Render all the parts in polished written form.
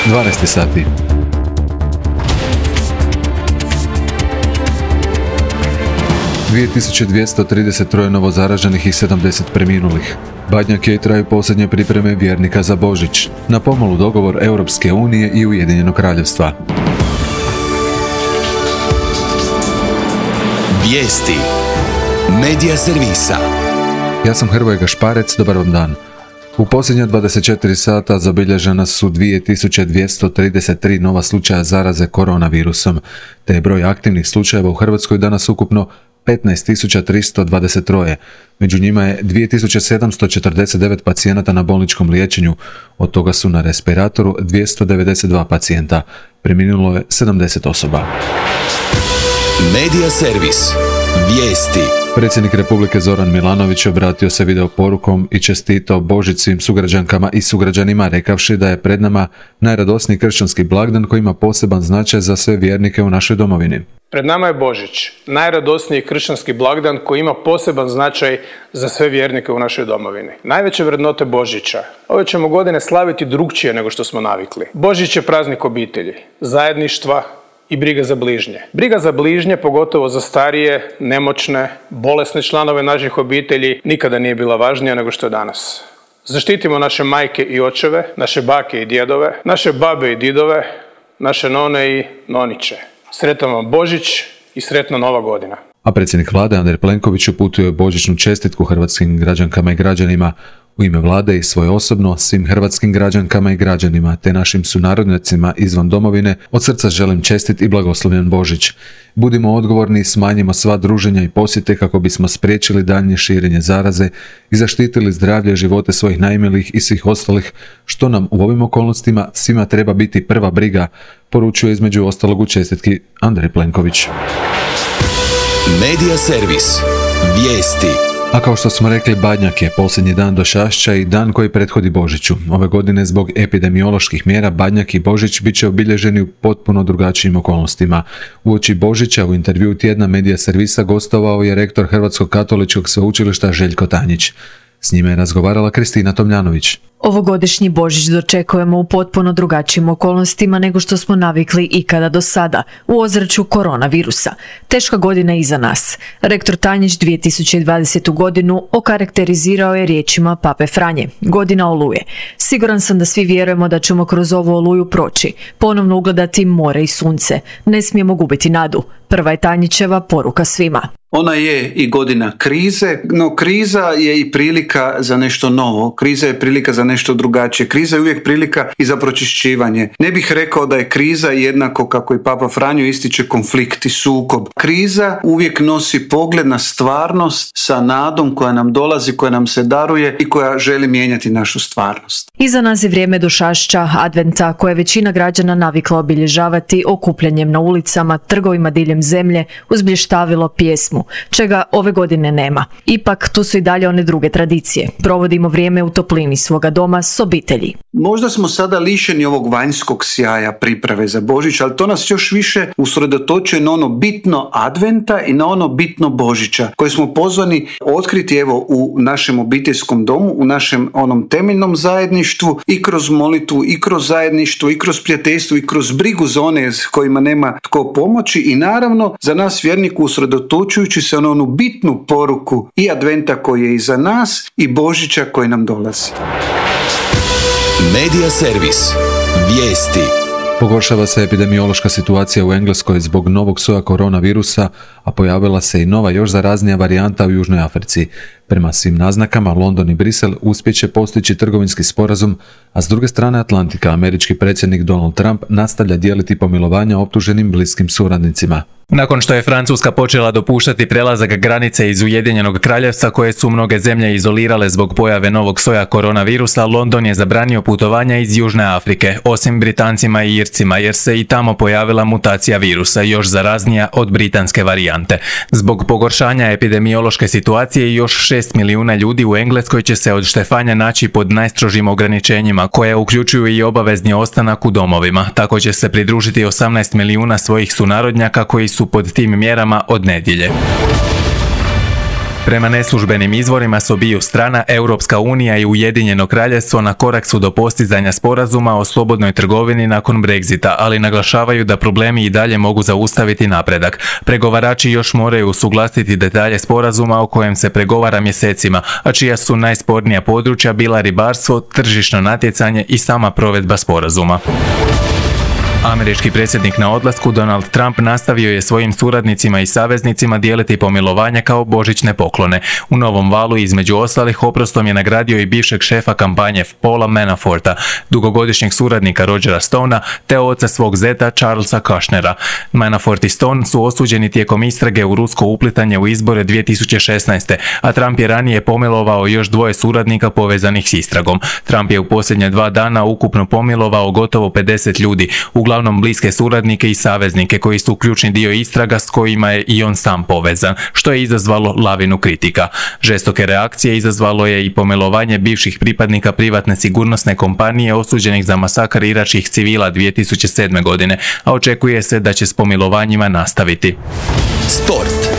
12 sati. – 2233 novo zaraženih i 70 preminulih. Badnjak je i traju posljednje pripreme vjernika za Božić. Na pomolu dogovor Europske unije i Ujedinjenog kraljevstva. Vijesti Medija servisa. Ja sam Hrvoje Gašparec, dobar vam dan. U posljednja 24 sata zabilježena su 2233 nova slučaja zaraze koronavirusom, te je broj aktivnih slučajeva u Hrvatskoj danas ukupno 15.323. Među njima je 2749 pacijenata na bolničkom liječenju, od toga su na respiratoru 292 pacijenta. Preminulo je 70 osoba. Medija servis. Vijesti. Predsjednik Republike Zoran Milanović obratio se video porukom i čestitao Božić svim sugrađankama i sugrađanima, rekavši da je pred nama najradosniji kršćanski blagdan koji ima poseban značaj za sve vjernike u našoj domovini. Pred nama je Božić, najradosniji kršćanski blagdan koji ima poseban značaj za sve vjernike u našoj domovini. Najveće vrednote Božića. Ove ćemo godine slaviti drukčije nego što smo navikli. Božić je praznik obitelji, zajedništva i briga za bližnje. Briga za bližnje, pogotovo za starije, nemoćne, bolesne članove naših obitelji, nikada nije bila važnija nego što je danas. Zaštitimo naše majke i očeve, naše bake i djedove, naše babe i didove, naše none i noniće. Sretan vam Božić i sretna Nova godina. A predsjednik vlade Andrej Plenković uputio je božićnu čestitku hrvatskim građankama i građanima. U ime vlade i svoje osobno svim hrvatskim građankama i građanima te našim sunarodnjacima izvan domovine od srca želim čestit i blagoslovljen Božić. Budimo odgovorni i smanjimo sva druženja i posjete kako bismo spriječili daljnje širenje zaraze i zaštitili zdravlje i živote svojih najmilijih i svih ostalih, što nam u ovim okolnostima svima treba biti prva briga, poručuje između ostalog u čestitki Andrej Plenković. Medija servis. Vijesti. A kao što smo rekli, Badnjak je posljednji dan Došašća i dan koji prethodi Božiću. Ove godine zbog epidemioloških mjera Badnjak i Božić bit će obilježeni u potpuno drugačijim okolnostima. Uoči Božića u intervjuu tjedna Medija servisa gostovao je rektor Hrvatskog katoličkog sveučilišta Željko Tanjić. S njime je razgovarala Kristina Tomljanović. Ovogodišnji Božić dočekujemo u potpuno drugačijim okolnostima nego što smo navikli ikada do sada, u ozračju koronavirusa. Teška godina je iza nas. Rektor Tanjić 2020. godinu okarakterizirao je riječima Pape Franje, godina oluje. Siguran sam da svi vjerujemo da ćemo kroz ovu oluju proći, ponovno ugledati more i sunce. Ne smijemo gubiti nadu. Prva je Tanjićeva poruka svima. Ona je i godina krize, no kriza je i prilika za nešto novo. Kriza je prilika za nešto drugačije. Kriza je uvijek prilika i za pročišćivanje. Ne bih rekao da je kriza jednako, kako i Papa Franjo ističe, konflikt i sukob. Kriza uvijek nosi pogled na stvarnost sa nadom koja nam dolazi, koja nam se daruje i koja želi mijenjati našu stvarnost. Iza nas je vrijeme Došašća, adventa, koje većina građana navikla obilježavati okupljanjem na ulicama, trgovima diljem zemlje, uz blještavilo, pjesmu, čega ove godine nema. Ipak tu su i dalje one druge tradicije. Provodimo vrijeme u toplini svoga doma s obitelji. Možda smo sada lišeni ovog vanjskog sjaja priprave za Božić, ali to nas još više usredotočuje na ono bitno adventa i na ono bitno Božića, koje smo pozvani otkriti evo u našem obiteljskom domu, u našem onom temeljnom zajedništvu, i kroz molitvu, i kroz zajedništvo, i kroz prijateljstvo, i kroz brigu za one s kojima nema tko pomoći, i naravno za nas vjerniku usredotočujući se na onu bitnu poruku i adventa koji je iza nas i Božića koji nam dolazi. Medija servis. Vijesti. Pogoršava se epidemiološka situacija u Engleskoj zbog novog soja koronavirusa, a pojavila se i nova još zaraznija varijanta u Južnoj Africi. Prema svim naznakama, London i Brisel uspjeće postići trgovinski sporazum, a s druge strane Atlantika američki predsjednik Donald Trump nastavlja dijeliti pomilovanja optuženim bliskim suradnicima. Nakon što je Francuska počela dopuštati prelazak granice iz Ujedinjenog kraljevstva koje su mnoge zemlje izolirale zbog pojave novog soja koronavirusa, London je zabranio putovanja iz Južne Afrike, osim Britancima i Ircima, jer se i tamo pojavila mutacija virusa, još zaraznija od britanske varijante. Zbog pogoršanja epidemiološke situacije, još 6 milijuna ljudi u Engleskoj će se od štefanja naći pod najstrožim ograničenjima, koje uključuju i obavezni ostanak u domovima. Tako će se pridružiti 18 milijuna svojih sunarodnjaka koji su pod tim mjerama od nedjelje. Prema neslužbenim izvorima s obiju strana, Europska unija i Ujedinjeno kraljevstvo na korak su do postizanja sporazuma o slobodnoj trgovini nakon Brexita, ali naglašavaju da problemi i dalje mogu zaustaviti napredak. Pregovarači još moraju usuglasiti detalje sporazuma o kojem se pregovara mjesecima, a čija su najspornija područja bila ribarstvo, tržišno natjecanje i sama provedba sporazuma. Američki predsjednik na odlasku Donald Trump nastavio je svojim suradnicima i saveznicima dijeliti pomilovanja kao božićne poklone. U novom valu između ostalih oprostom je nagradio i bivšeg šefa kampanje Paula Manaforta, dugogodišnjeg suradnika Rogera Stonea te oca svog zeta Charlesa Kushnera. Manafort i Stone su osuđeni tijekom istrage u rusko uplitanje u izbore 2016. a Trump je ranije pomilovao još 2 suradnika povezanih s istragom. Trump je u posljednje 2 dana ukupno pomilovao gotovo 50 ljudi, uglavnom bliske suradnike i saveznike koji su ključni dio istraga s kojima je i on sam povezan, što je izazvalo lavinu kritika. Žestoke reakcije izazvalo je i pomilovanje bivših pripadnika privatne sigurnosne kompanije osuđenih za masakr iračkih civila 2007. godine, a očekuje se da će s pomilovanjima nastaviti. Sport.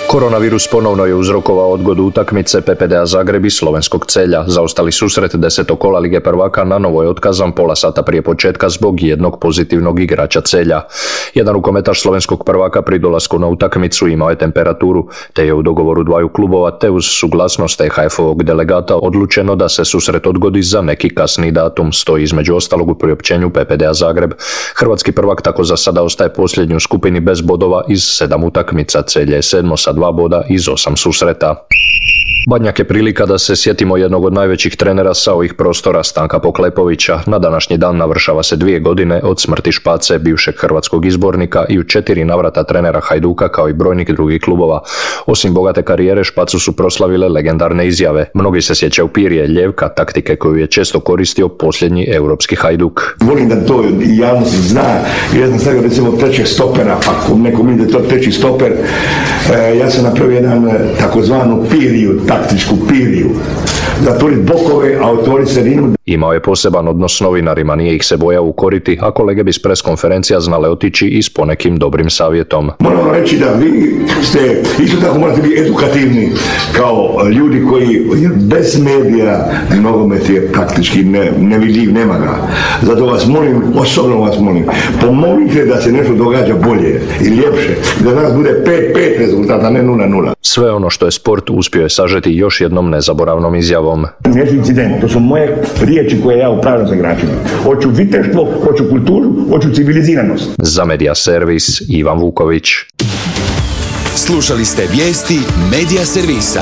Koronavirus ponovno je uzrokovao odgodu utakmice PPD-a Zagreb i slovenskog Celja. Zaostali susret 10. kola Lige prvaka na novo je otkazan pola sata prije početka zbog jednog pozitivnog igrača Celja. Jedan rukometaš slovenskog prvaka pri dolasku na utakmicu imao je temperaturu, te je u dogovoru dvaju klubova te uz suglasnost EHF-ovog delegata odlučeno da se susret odgodi za neki kasni datum, stoji između ostalog u priopćenju PPD-a Zagreb. Hrvatski prvak tako za sada ostaje posljednji u skupini bez bodova iz 7 utakmica. Celje je 7 sa 2 boda iz 8 susreta. Badnjak je prilika da se sjetimo jednog od najvećih trenera sa ovih prostora, Stanka Poklepovića. Na današnji dan navršava se 2 godine od smrti Špace, bivšeg hrvatskog izbornika i u 4 navrata trenera Hajduka kao i brojnih drugih klubova. Osim bogate karijere, Špacu su proslavile legendarne izjave. Mnogi se sjećaju Pirje, ljevka, taktike koju je često koristio posljednji europski Hajduk. Volim da to javnost zna, jer ja sam stavio recimo trećeg stopera, pa ako neko mi da je to treći stoper, ja sam napravio jedan takozvanu Piriju, taktičku Piriju, zatvoriti bokove, a otvoriti sredinu. Imao je poseban odnos s novinarima, nije ih se bojao ukoriti, a kolege bi s preskonferencija znale otići i s ponekim dobrim savjetom. Moram reći da vi ste, isto tako morate biti edukativni kao ljudi koji bez medija nogomet je praktički nevidljiv, nema ga. Zato vas molim, osobno vas molim, pomolite da se nešto događa bolje i ljepše, da danas bude 5-5 rezultata, ne 0-0. Sve ono što je sport uspio je sažeti još jednom nezaboravnom izjavom. Neću incident, to su moje riječi koje ja upravljam sa igračima. Hoću viteštvo, hoću kulturu, hoću civiliziranost. Za Media Servis, Ivan Vuković. Slušali ste vijesti Media Servisa.